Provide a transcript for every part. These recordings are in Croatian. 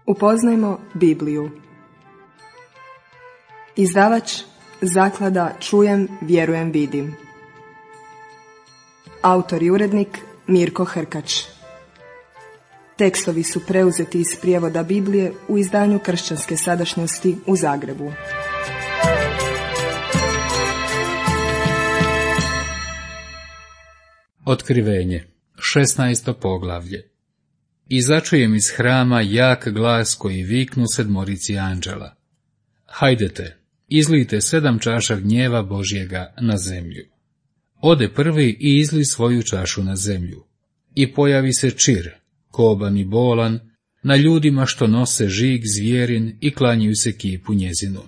Upoznajmo Bibliju. Izdavač Zaklada Čujem, vjerujem, vidim. Autor i urednik Mirko Hrkač. Tekstovi su preuzeti iz prijevoda Biblije u izdanju Kršćanske sadašnjosti u Zagrebu. Otkrivenje, 16. poglavlje. I začujem iz hrama jak glas koji viknu sedmorici anđela. Hajdete, izlijte 7 čaša gnjeva Božjega na zemlju. Ode prvi i izli svoju čašu na zemlju. I pojavi se čir, koban i bolan, na ljudima što nose žig zvijerin i klanjaju se kipu njezinu.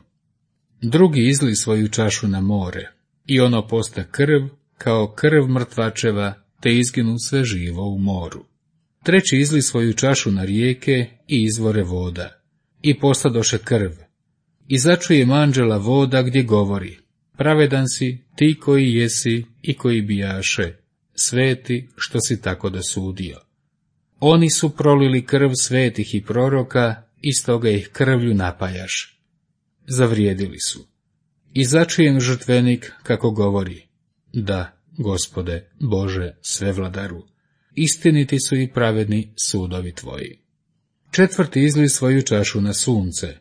Drugi izli svoju čašu na more, i ono posta krv, kao krv mrtvačeva, te izginu sve živo u moru. Treći izli svoju čašu na rijeke i izvore voda, i postadoše krv. I začujem anđela voda gdje govori, pravedan si ti koji jesi i koji bijaše, sveti što si tako dosudio. Oni su prolili krv svetih i proroka, i stoga ih krvlju napajaš. Zavrijedili su. I začujem žrtvenik kako govori, da, Gospode, Bože, svevladaru, istiniti su i pravedni sudovi tvoji. Četvrti izli svoju čašu na sunce,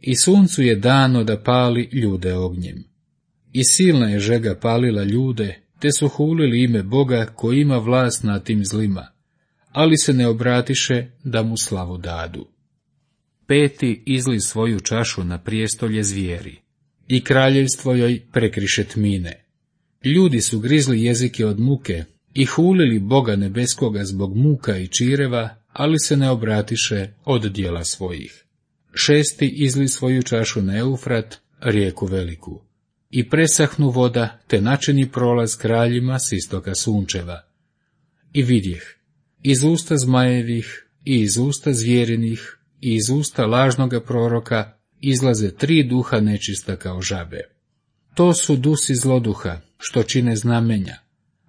i suncu je dano da pali ljude ognjem. I silna je žega palila ljude, te su hulili ime Boga koji ima vlast nad tim zlima, ali se ne obratiše da mu slavu dadu. Peti izli svoju čašu na prijestolje zvijeri, i kraljevstvo joj prekriše tmine. Ljudi su grizli jezike od muke i hulili Boga nebeskoga zbog muka i čireva, ali se ne obratiše od djela svojih. Šesti izli svoju čašu na Eufrat, rijeku veliku, i presahnu voda, te načini prolaz kraljima s istoka sunčeva. I vidjeh, iz usta zmajevih, i iz usta zvjerinih, i iz usta lažnoga proroka izlaze 3 duha nečista kao žabe. To su dusi zloduha, što čine znamenja,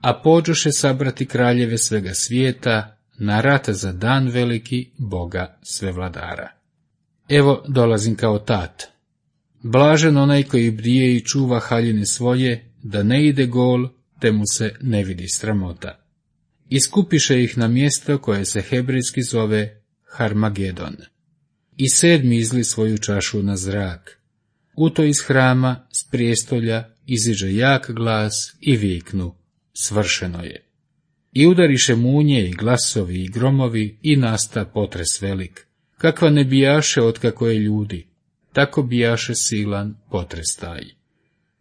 a pođoše sabrati kraljeve svega svijeta na rat za dan veliki Boga svevladara. Evo dolazim kao tat. Blažen onaj koji bdije i čuva haljine svoje, da ne ide gol, te mu se ne vidi sramota. Iskupiše ih na mjesto koje se hebrejski zove Harmagedon. I 7. izli svoju čašu na zrak. U to iz hrama, s prijestolja, iziđe jak glas i viknu, svršeno je. I udariše munje i glasovi i gromovi i nasta potres velik, kakva ne bijaše otkako je ljudi, tako bijaše silan potres taj.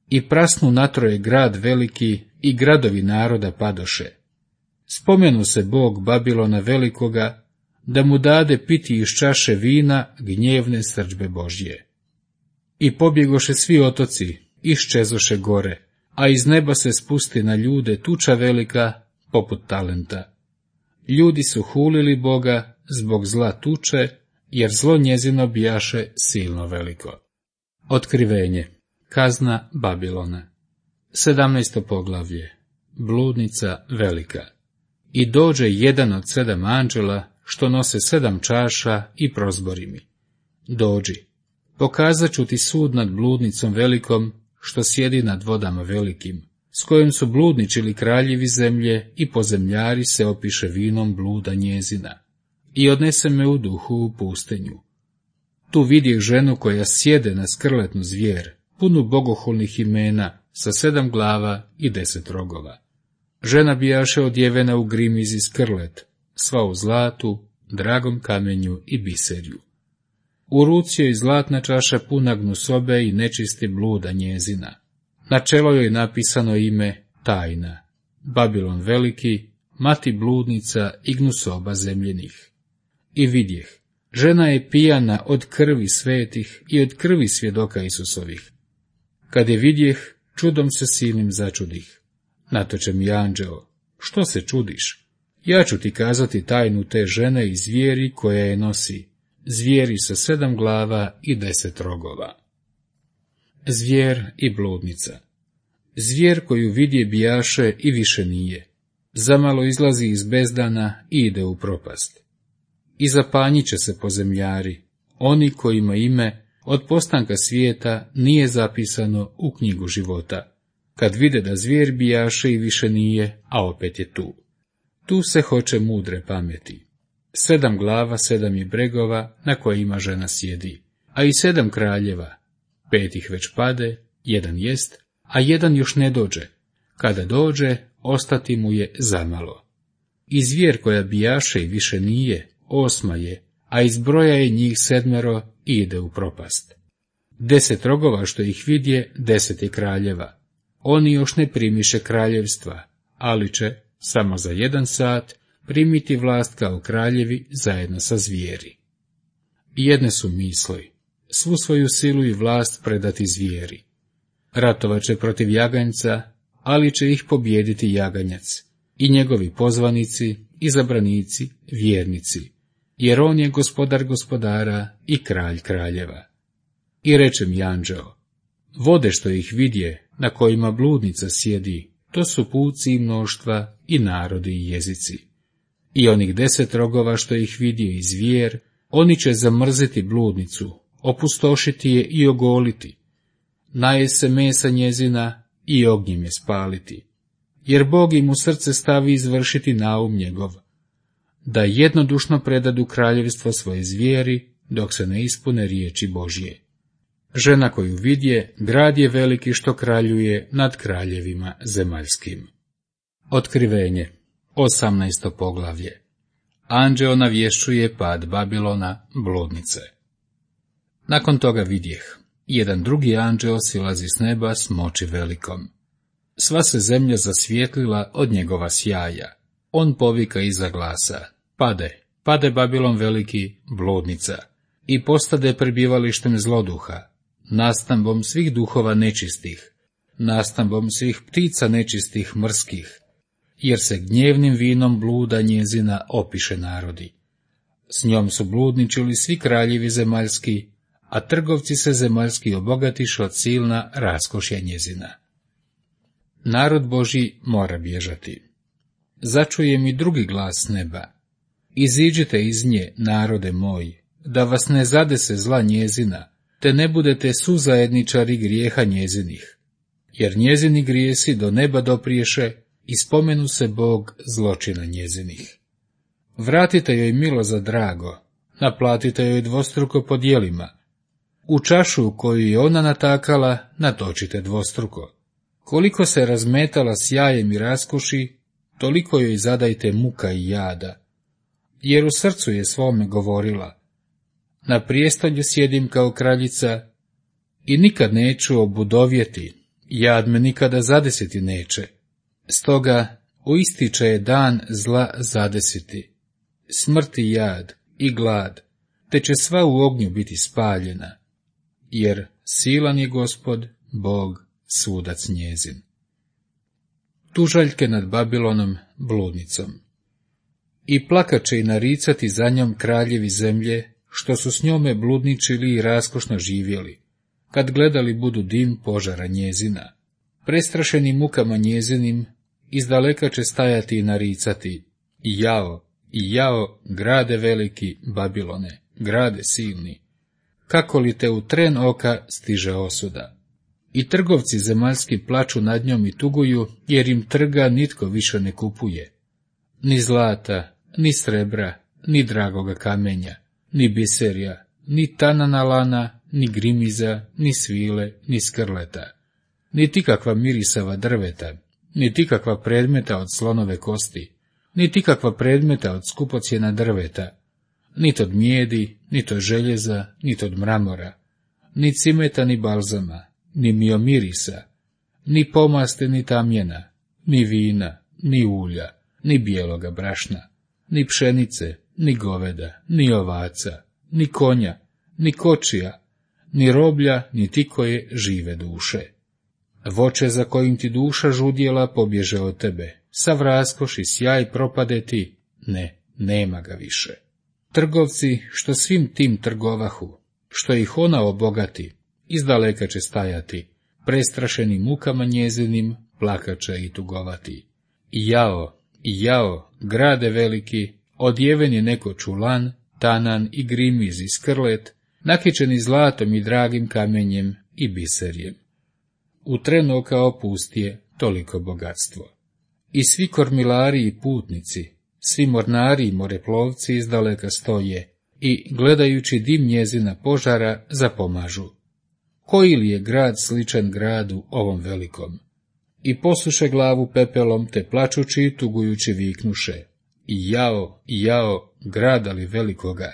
I prasnu natroje grad veliki i gradovi naroda padoše. Spomenu se Bog Babilona velikoga, da mu dade piti iz čaše vina gnjevne srdžbe Božje. I pobjegoše svi otoci, iščezoše gore, a iz neba se spusti na ljude tuča velika, poput talenta. Ljudi su hulili Boga zbog zla tuče, jer zlo njezino bijaše silno veliko. Otkrivenje, kazna Babilona. 17. poglavlje, bludnica velika. I dođe jedan od 7 anđela, što nose 7 čaša i prozbori mi. Dođi, pokazat ću ti sud nad bludnicom velikom, što sjedi nad vodama velikim, s kojom su bludničili kraljevi zemlje i pozemljari se opiše vinom bluda njezina. I odnese me u duhu u pustinju. Tu vidjeh ženu koja sjede na skrletnu zvijer, punu bogohulnih imena, sa 7 glava i 10 rogova. Žena bijaše odjevena u grimizi skrlet, sva u zlatu, dragom kamenju i biserju. U ruci joj zlatna čaša puna gnusobe i nečisti bluda njezina. Na čelo joj napisano ime Tajna, Babilon veliki, mati bludnica i gnusoba zemljenih. I vidjeh, žena je pijana od krvi svetih i od krvi svjedoka Isusovih. Kad je vidjeh, čudom se silnim začudih. Natoče mi anđeo, što se čudiš? Ja ću ti kazati tajnu te žene i zvijeri koja je nosi, zvijeri sa 7 glava i 10 rogova. Zvijer i bludnica. Zvijer koju vidje bijaše i više nije. Zamalo izlazi iz bezdana i ide u propast. i zapanjit će se pozemljari, oni kojima ime od postanka svijeta nije zapisano u knjigu života, kad vide da zvijer bijaše i više nije, a opet je tu. Tu se hoće mudre pameti. 7 glava, 7 je bregova na kojima žena sjedi, a i 7 kraljeva. 5 ih već pade, 1 jest, a 1 još ne dođe. Kada dođe, ostati mu je zamalo. I zvijer koja bijaše i više nije, 8 je, a iz broja je njih 7 i ide u propast. 10 rogova što ih vidje, 10 je kraljeva. Oni još ne primiše kraljevstva, ali će, samo za 1 sat, primiti vlast kao kraljevi zajedno sa zvijeri. Jedne su misli, svu svoju silu i vlast predati zvijeri. Ratovat će protiv jaganjca, ali će ih pobijediti jaganjac, i njegovi pozvanici, izabranici, vjernici, jer on je gospodar gospodara i kralj kraljeva. I reče mi anđeo, vode što ih vidje, na kojima bludnica sjedi, to su puci i mnoštva i narodi i jezici. I onih 10 rogova što ih vidje i zvijer, oni će zamrziti bludnicu, opustošiti je i ogoliti. Naje se mesa njezina i ognjem je spaliti, jer Bog im u srce stavi izvršiti naum njegov, da jednodušno predadu kraljevstvo svoje zvijeri, dok se ne ispune riječi Božje. Žena koju vidje, grad je veliki što kraljuje nad kraljevima zemaljskim. Otkrivenje, 18. poglavlje. Anđeo navješćuje pad Babilona, bludnice. Nakon toga vidjeh, jedan drugi anđeo silazi s neba s moći velikom. Sva se zemlja zasvijetlila od njegova sjaja. On povika iza glasa, pade Babilon veliki, bludnica, i postade prebivalištem zloduha, nastambom svih duhova nečistih, nastambom svih ptica nečistih mrskih, jer se gnjevnim vinom bluda njezina opiše narodi. S njom su bludničili svi kraljevi zemaljski, a trgovci se zemaljski obogatiše od silna raskošja njezina. Narod Božji mora bježati. Začuje mi drugi glas neba. Iziđite iz nje, narode moji, da vas ne zadese zla njezina, te ne budete suzajedničari grijeha njezinih, jer njezini grijesi do neba dopriješe i spomenu se Bog zločina njezinih. Vratite joj milo za drago, naplatite joj dvostruko po djelima, u čašu koju je ona natakala natočite dvostruko. Koliko se razmetala sjajem i raskoši, toliko joj zadajte muka i jada, jer u srcu je svome govorila, na prijestolju sjedim kao kraljica i nikad neću obudovjeti, jad me nikada zadesiti neće. Stoga uističe je dan zla zadesiti, smrti jad i glad, te će sva u ognju biti spaljena, jer silan je Gospod, Bog, sudac njezin. Tužaljke nad Babilonom, bludnicom. I plakat će i naricati za njom kraljevi zemlje, što su s njome bludničili i raskošno živjeli, kad gledali budu dim požara njezina. Prestrašeni mukama njezinim, izdaleka će stajati i naricati, i jao, grade veliki, Babilone, grade silni, kako li te u tren oka stiže osuda. I trgovci zemaljski plaču nad njom i tuguju, jer im trga nitko više ne kupuje. Ni zlata, ni srebra, ni dragoga kamenja, ni biserja, ni tanana lana, ni grimiza, ni svile, ni skrleta, niti kakva mirisava drveta, niti kakva predmeta od slonove kosti, niti kakva predmeta od skupocjena drveta, niti od mijedi, niti od željeza, niti od mramora, ni cimeta, ni balzama, ni miomirisa, ni pomaste, ni tamjena, ni vina, ni ulja, ni bijeloga brašna, ni pšenice, ni goveda, ni ovaca, ni konja, ni kočija, ni roblja, ni ti koje žive duše. Voće za kojim ti duša žudjela pobježe od tebe, sav raskoš i sjaj propade ti, nema ga više. Trgovci, što svim tim trgovahu, što ih ona obogati, izdaleka će stajati, prestrašeni mukama njezinim, plakače i tugovati. I jao, grade veliki, odjeven je neko čulan, tanan i grimiz i skrlet, nakičeni zlatom i dragim kamenjem i biserjem. U tren oka opustije toliko bogatstvo. I svi kormilari i putnici, svi mornari i moreplovci izdaleka stoje i, gledajući dim njezina požara, zapomažu. Koji li je grad sličan gradu ovom velikom? I posuše glavu pepelom, te plačući i tugujući viknuše: jao, grada li velikoga!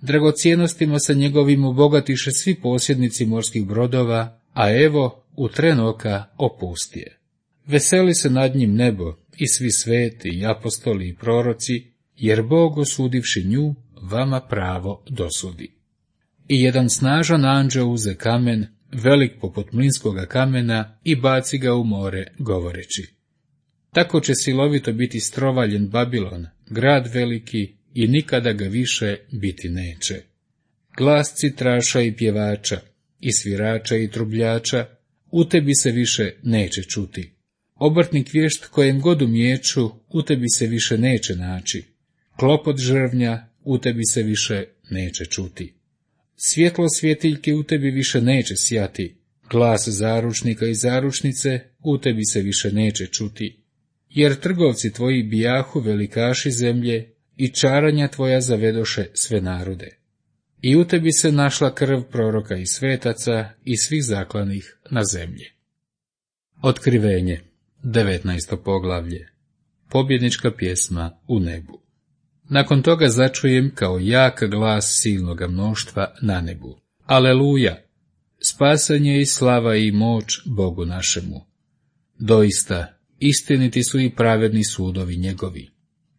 Dragocijenostima se njegovim obogatiše svi posjednici morskih brodova, a evo, u tren oka opustije. Veseli se nad njim nebo i svi sveti i apostoli i proroci, jer Bog, osudivši nju, vama pravo dosudi. I jedan snažan anđeo uze kamen, velik poput mlinskoga kamena, i baci ga u more, govoreći: tako će silovito biti strovaljen Babilon, grad veliki, i nikada ga više biti neće. Glas citraša i pjevača, i svirača i trubljača, u tebi se više neće čuti. Obrtnik vješt kojem god umiječu, u tebi se više neće naći. Klopot žrvnja, u tebi se više neće čuti. Svjetlo svjetiljke u tebi više neće sjati. Glas zaručnika i zaručnice u tebi se više neće čuti. Jer trgovci tvoji bijahu velikaši zemlje, i čaranja tvoja zavedoše sve narode. I u tebi se našla krv proroka i svetaca i svih zaklanih na zemlji. Otkrivenje, 19. poglavlje. Pobjednička pjesma u nebu. Nakon toga začujem kao jak glas silnoga mnoštva na nebu: Aleluja! Spasanje i slava i moć Bogu našemu. Doista, istiniti su i pravedni sudovi njegovi,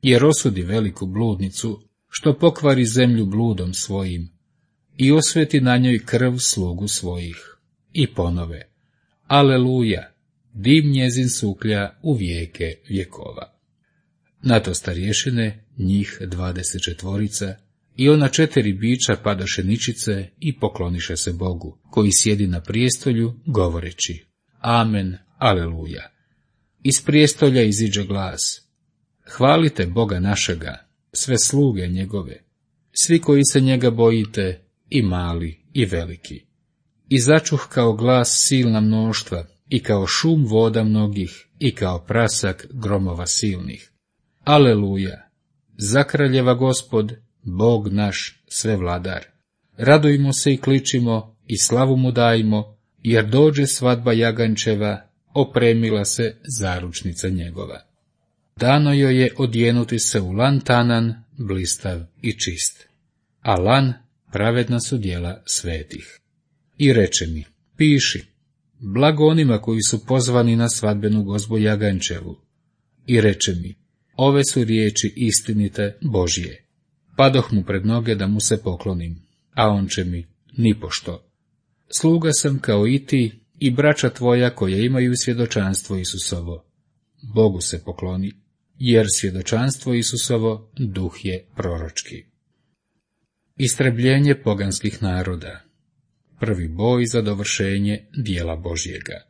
jer osudi veliku bludnicu, što pokvari zemlju bludom svojim, i osveti na njoj krv slugu svojih. I ponove: Aleluja! Dim njezin suklja u vijeke vjekova. Na to starješine, njih 24, i ona 4 bića padaše ničice i pokloniše se Bogu, koji sjedi na prijestolju, govoreći: Amen, aleluja. Iz prijestolja iziđe glas: hvalite Boga našega, sve sluge njegove, svi koji se njega bojite, i mali i veliki. I začuh kao glas silna mnoštva, i kao šum voda mnogih, i kao prasak gromova silnih: Aleluja! Zakraljeva Gospod, Bog naš, sve vladar. Radujmo se i kličimo, i slavu mu dajmo, jer dođe svadba jagančeva, opremila se zaručnica njegova. Dano joj je odjenuti se u lan tanan, blistav i čist, a lan pravedna su djela svetih. I reče mi: piši, blago onima koji su pozvani na svadbenu gozbu jagančevu. I reče mi: ove su riječi istinite Božje. Padoh mu pred noge da mu se poklonim, a on će mi: nipošto. Sluga sam kao i ti i braća tvoja koja imaju svjedočanstvo Isusovo. Bogu se pokloni, jer svjedočanstvo Isusovo duh je proročki. Istrebljenje poganskih naroda. Prvi boj za dovršenje dijela Božjega.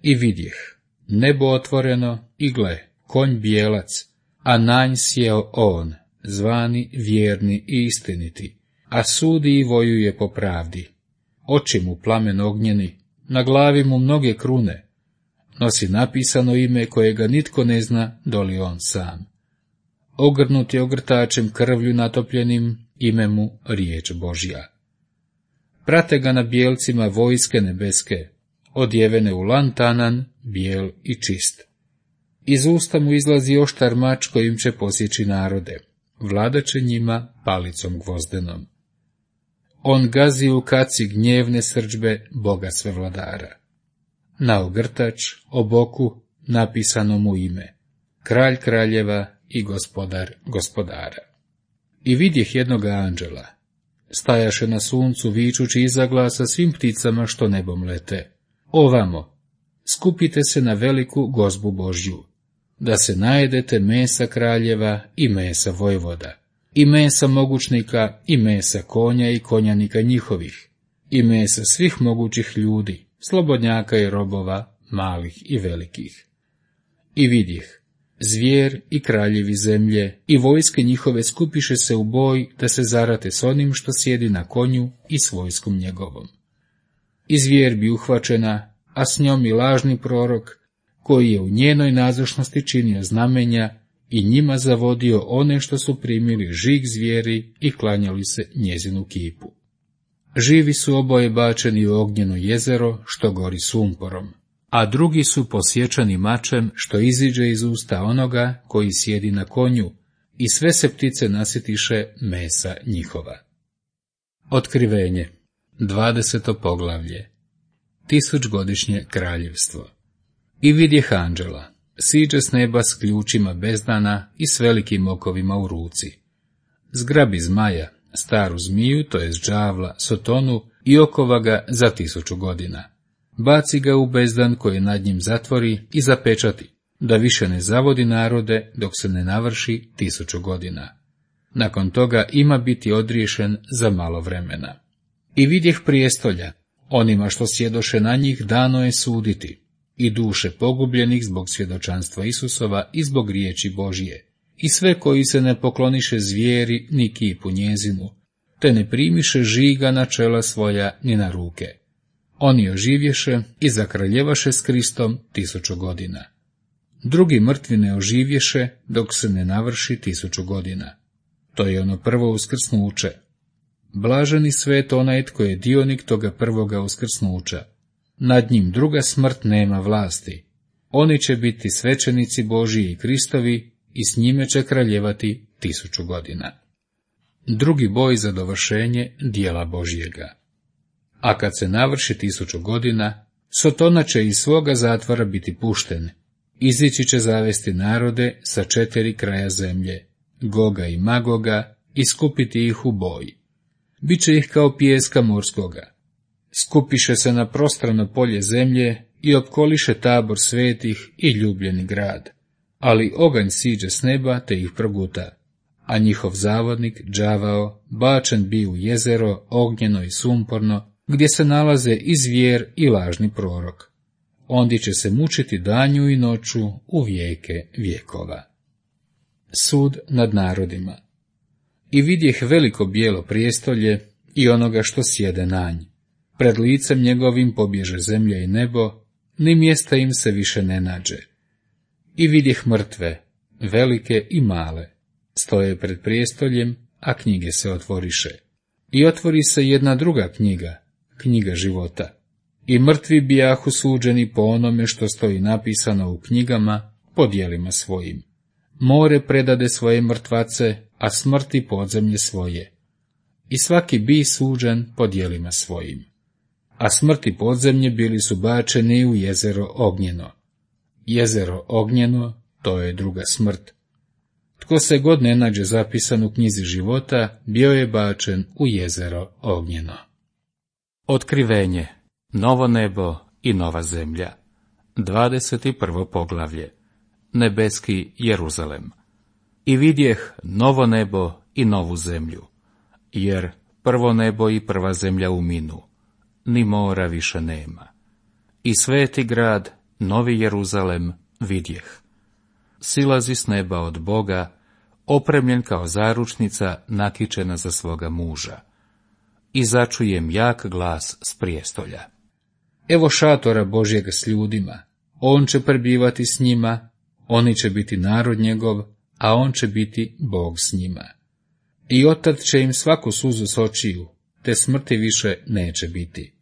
I vidjeh nebo otvoreno, i gle, konj bijelac, a na nj sjeo on, zvani vjerni i istiniti, a sudi i vojuje po pravdi. Oči mu plamen ognjeni, na glavi mu mnoge krune, nosi napisano ime kojega nitko ne zna doli on sam. Ogrnut je ogrtačem krvlju natopljenim, ime mu riječ Božja. Prate ga na bijelcima vojske nebeske, odjevene u lan tanan, bijel i čist. Iz usta mu izlazi oštar mač kojim će posjeći narode, vladaće njima palicom gvozdenom. On gazi u kaci gnjevne srdžbe Boga svevladara. Na ogrtač, o boku, napisano mu ime: kralj kraljeva i gospodar gospodara. I vidjeh jednoga anđela. Stajaše na suncu vičući iza glasa svim pticama što nebom lete: ovamo, skupite se na veliku gozbu Božju, da se najedete mesa kraljeva i mesa vojvoda, i mesa mogućnika, i mesa konja i konjanika njihovih, i mesa svih mogućih ljudi, slobodnjaka i robova, malih i velikih. I vidjeh, Zvijer i kraljevi zemlje i vojske njihove skupiše se u boj da se zarate s onim što sjedi na konju i s vojskom njegovom. I zvijer bi uhvaćena, a s njom i lažni prorok, koji je u njenoj nazočnosti činio znamenja i njima zavodio one što su primili žig zvijeri i klanjali se njezinu kipu. Živi su oboje bačeni u ognjeno jezero što gori sumporom, a drugi su posječani mačem što iziđe iz usta onoga koji sjedi na konju, i sve se ptice nasitiše mesa njihova. Otkrivenje, 20. poglavlje. 1000-godišnje kraljevstvo. I vidjeh anđela, siđe s neba s ključima bezdana i s velikim okovima u ruci. Zgrabi zmaja, staru zmiju, to jest đavla, Sotonu, i okova ga za 1000 godina. Baci ga u bezdan koji nad njim zatvori i zapečati, da više ne zavodi narode dok se ne navrši 1000 godina. Nakon toga ima biti odriješen za malo vremena. I vidjeh prijestolja, onima što sjedoše na njih dano je suditi, i duše pogubljenih zbog svjedočanstva Isusova i zbog riječi Božije, i sve koji se ne pokloniše zvijeri ni kipu njezinu, te ne primiše žiga na čela svoja ni na ruke. Oni oživješe i zakraljevaše s Kristom 1000 godina. Drugi mrtvi ne oživješe dok se ne navrši 1000 godina. To je ono prvo uskrsnuće. Blaženi svet onaj tko je dionik toga prvoga uskrsnuća. Nad njim druga smrt nema vlasti. Oni će biti svećenici Božiji i Kristovi i s njime će kraljevati 1000 godina. Drugi boj za dovršenje dijela Božjega. A kad se navrši 1000 godina, Sotona će iz svoga zatvora biti pušten. Izići će zavesti narode sa 4 kraja zemlje, Goga i Magoga, i skupiti ih u boj. Biće ih kao pijeska morskoga. Skupiše se na prostrano polje zemlje i opkoliše tabor svetih i ljubljeni grad. Ali oganj siđe s neba te ih proguta, a njihov zavodnik, đavao, bačen bi u jezero ognjeno i sumporno, gdje se nalaze i zvijer i lažni prorok. Ondi će se mučiti danju i noću u vijeke vjekova. Sud nad narodima. I vidjeh veliko bijelo prijestolje i onoga što sjede na nj. Pred licem njegovim pobježe zemlja i nebo, ni mjesta im se više ne nađe. I vidjeh mrtve, velike i male, stoje pred prijestoljem, a knjige se otvoriše. I otvori se jedna druga knjiga, knjiga života. I mrtvi bijahu suđeni po onome što stoji napisano u knjigama, po djelima svojim. More predade svoje mrtvace, a smrti podzemlje svoje. I svaki bi suđen po djelima svojim. A smrti podzemlje bili su bačeni u jezero ognjeno. Jezero ognjeno, to je druga smrt. Tko se god ne nađe zapisan u knjizi života, bio je bačen u jezero ognjeno. Otkrivenje, novo nebo i nova zemlja. 21. poglavlje. Nebeski Jeruzalem. I vidjeh novo nebo i novu zemlju, jer prvo nebo i prva zemlja uminu, ni mora više nema. I sveti grad, novi Jeruzalem, vidjeh. Silazi s neba od Boga, opremljen kao zaručnica nakičena za svoga muža. I začujem jak glas s prijestolja. Evo šatora Božjega s ljudima, on će prebivati s njima, oni će biti narod njegov, a on će biti Bog s njima. I otad će im svaku suzu s očiju, te smrti više neće biti.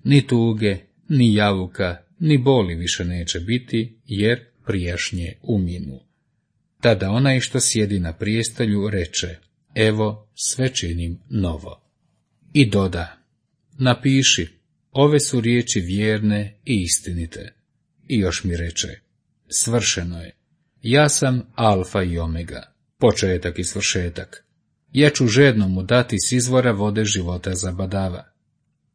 Ni tuge, ni javuka, ni boli više neće biti, jer prijašnje uminu. Tada onaj što sjedi na prijestolju reče, evo sve činim novo. I doda, napiši, ove su riječi vjerne i istinite. I još mi reče, svršeno je. Ja sam Alfa i Omega, početak i svršetak. Ja ću žednomu dati s izvora vode života zabadava.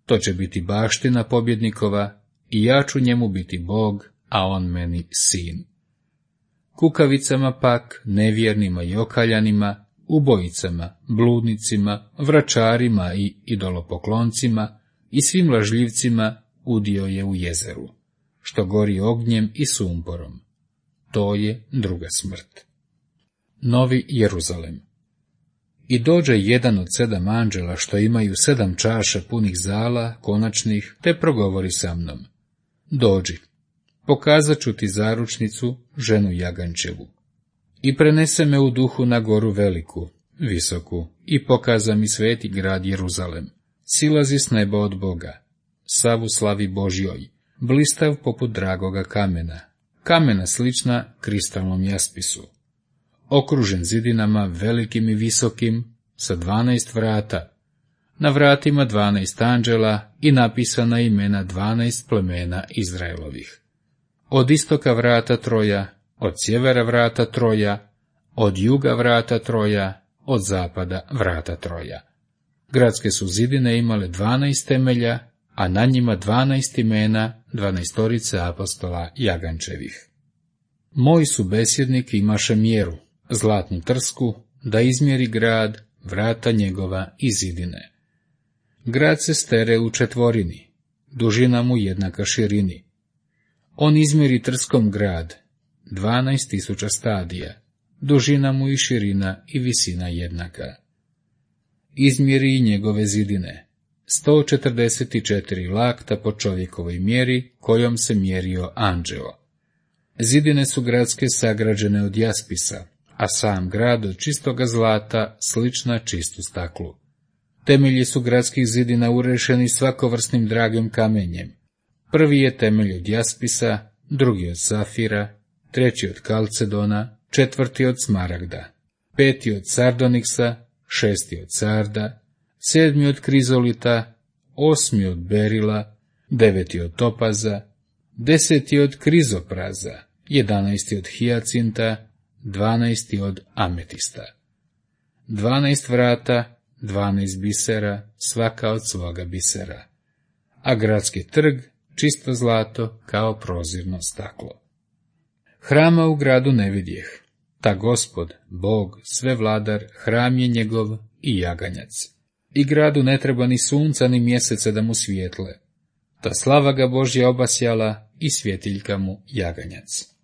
To će biti baština pobjednikova i ja ću njemu biti Bog, a on meni sin. Kukavicama pak, nevjernima i okaljanima, ubojicama, bludnicima, vračarima i idolopokloncima i svim lažljivcima udio je u jezeru, što gori ognjem i sumporom. to je druga smrt. Novi Jeruzalem. I dođe jedan od 7 anđela što imaju 7 čaša punih zala, konačnih, te progovori sa mnom. Dođi, pokazat ću ti zaručnicu, ženu Jagančevu. I prenese me u duhu na goru veliku, visoku, i pokaza mi sveti grad Jeruzalem. Silazi s neba od Boga, sav u slavi Božjoj, blistav poput dragoga kamena, kamena slična kristalnom jaspisu. Okružen zidinama velikim i visokim, sa 12 vrata, na vratima 12 anđela i napisana imena 12 plemena Izraelovih. Od istoka vrata 3, od sjevera vrata 3, od juga vrata 3, od zapada vrata 3. Gradske su zidine imale 12 temelja, a na njima 12 imena 12 apostola Jagančevih. Moj subesjednik imaše mjeru, zlatnu trsku, da izmjeri grad, vrata njegova i zidine. Grad se stere u 4, dužina mu jednaka širini. On izmjeri trskom grad, 12.000 stadija, dužina mu i širina i visina jednaka. Izmjeri i njegove zidine, 144 lakta po čovjekovoj mjeri, kojom se mjerio anđeo. Zidine su gradske sagrađene od jaspisa, a sam grad od čistoga zlata, slična čistu staklu. Temelji su gradskih zidina urešeni svakovrsnim dragim kamenjem. Prvi je temelj od jaspisa, drugi od safira, 3. od kalcedona, 4. od smaragda, 5. od sardoniksa, 6. od sarda, 7. od krizolita, 8. od berila, 9. od topaza, 10. od krizopraza, 11. od hijacinta, 12. od ametista. 12 vrata, 12 bisera, svaka od svoga bisera. A gradski trg, čisto zlato, kao prozirno staklo. Hrama u gradu ne vidjeh. Ta Gospod, Bog, svevladar, hram je njegov i jaganjac. I gradu ne treba ni sunca ni mjeseca da mu svijetle. Ta slava ga Božja obasjala i svjetiljka mu jaganjac.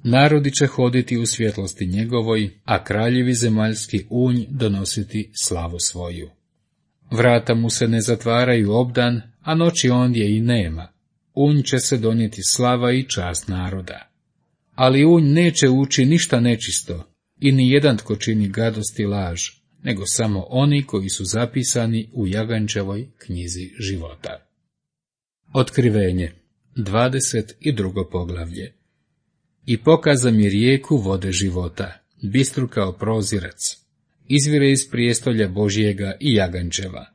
Narodi će hoditi u svjetlosti njegovoj, a kraljevi zemaljski unj donositi slavu svoju. Vrata mu se ne zatvaraju obdan, a noći ondje i nema. Unj će se donijeti slava i čast naroda. Ali unj neće ući ništa nečisto, i ni jedan tko čini gadost i laž, nego samo oni koji su zapisani u Jagančevoj knjizi života. Otkrivenje, 22. poglavlje. I pokaza mi rijeku vode života, bistru kao prozirac, izvire iz prijestolja Božjega i Jagančeva.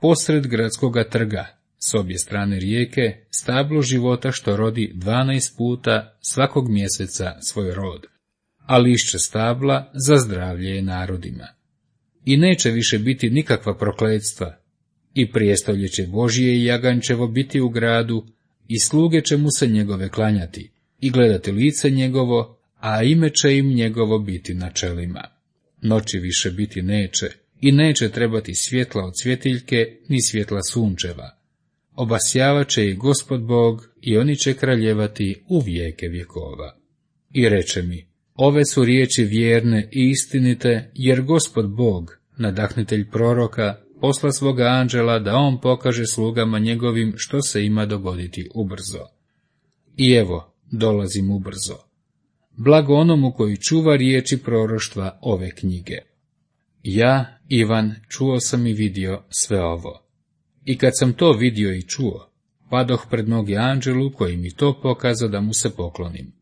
Posred gradskoga trga, s obje strane rijeke, stablo života što rodi 12 puta svakog mjeseca svoj rod, a lišće stabla za zdravlje je narodima. I neće više biti nikakva prokletstva, i prijestolje će Božje i Jagančevo biti u gradu, i sluge će mu se njegove klanjati, i gledati lice njegovo, a ime će im njegovo biti na čelima. Noći više biti neće, i neće trebati svjetla od svjetiljke, ni svjetla sunčeva. Obasjavat će i Gospod Bog, i oni će kraljevati u vijeke vjekova. I reče mi, ove su riječi vjerne i istinite, jer Gospod Bog, nadahnitelj proroka, posla svoga anđela da on pokaže slugama njegovim što se ima dogoditi ubrzo. I evo, dolazim ubrzo. Blago onomu koji čuva riječi proroštva ove knjige. Ja, Ivan, čuo sam i vidio sve ovo. I kad sam to vidio i čuo, padoh pred noge anđelu koji mi to pokazao da mu se poklonim.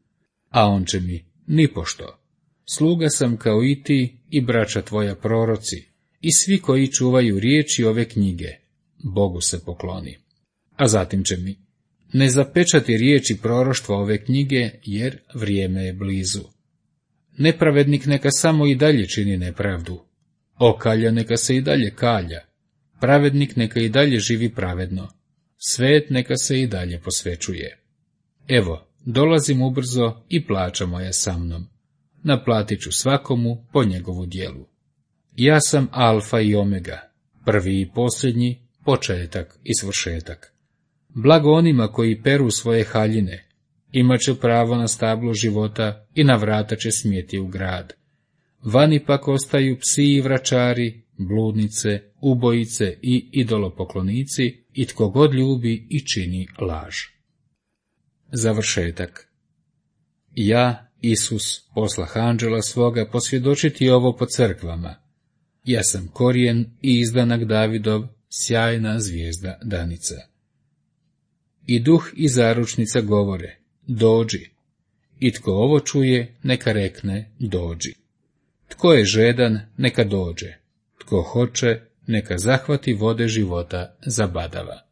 A on će mi, nipošto, sluga sam kao i ti i braća tvoja proroci, i svi koji čuvaju riječi ove knjige, Bogu se pokloni. A zatim će mi, ne zapečati riječi proroštva ove knjige, jer vrijeme je blizu. Nepravednik neka samo i dalje čini nepravdu, okalja neka se i dalje kalja, pravednik neka i dalje živi pravedno, svet neka se i dalje posvećuje. Evo, dolazim ubrzo i plaća moja sa mnom. Naplatit ću svakomu po njegovu djelu. Ja sam Alfa i Omega, prvi i posljednji, početak i svršetak. Blago onima koji peru svoje haljine, Imaće pravo na stablo života i na vrata će smjeti u grad. Vani pak ostaju psi i vračari, bludnice, ubojice i idolopoklonici i tko god ljubi i čini laž. Završetak. Ja, Isus, poslah anđela svoga posvjedočiti ovo po crkvama. Ja sam korijen i izdanak Davidov, sjajna zvijezda danica. I duh i zaručnica govore, dođi. I tko ovo čuje, neka rekne, dođi. Tko je žedan, neka dođe. Tko hoće, neka zahvati vode života zabadava.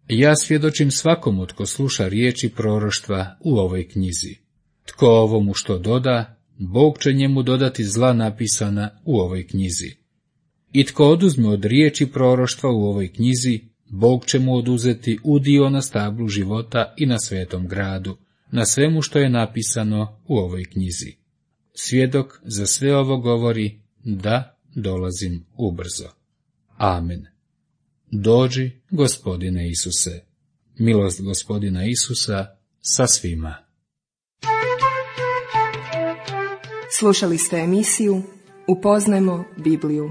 Ja svjedočim svakomu tko sluša riječi proroštva u ovoj knjizi. Tko ovomu što doda, Bog će njemu dodati zla napisana u ovoj knjizi. I tko oduzme od riječi proroštva u ovoj knjizi, Bog će mu oduzeti udio na stablu života i na svetom gradu, na svemu što je napisano u ovoj knjizi. Svjedok za sve ovo govori, da, dolazim ubrzo. Amen. Dođi, Gospodine Isuse. Milost Gospodina Isusa sa svima. Slušali ste emisiju Upoznajmo Bibliju.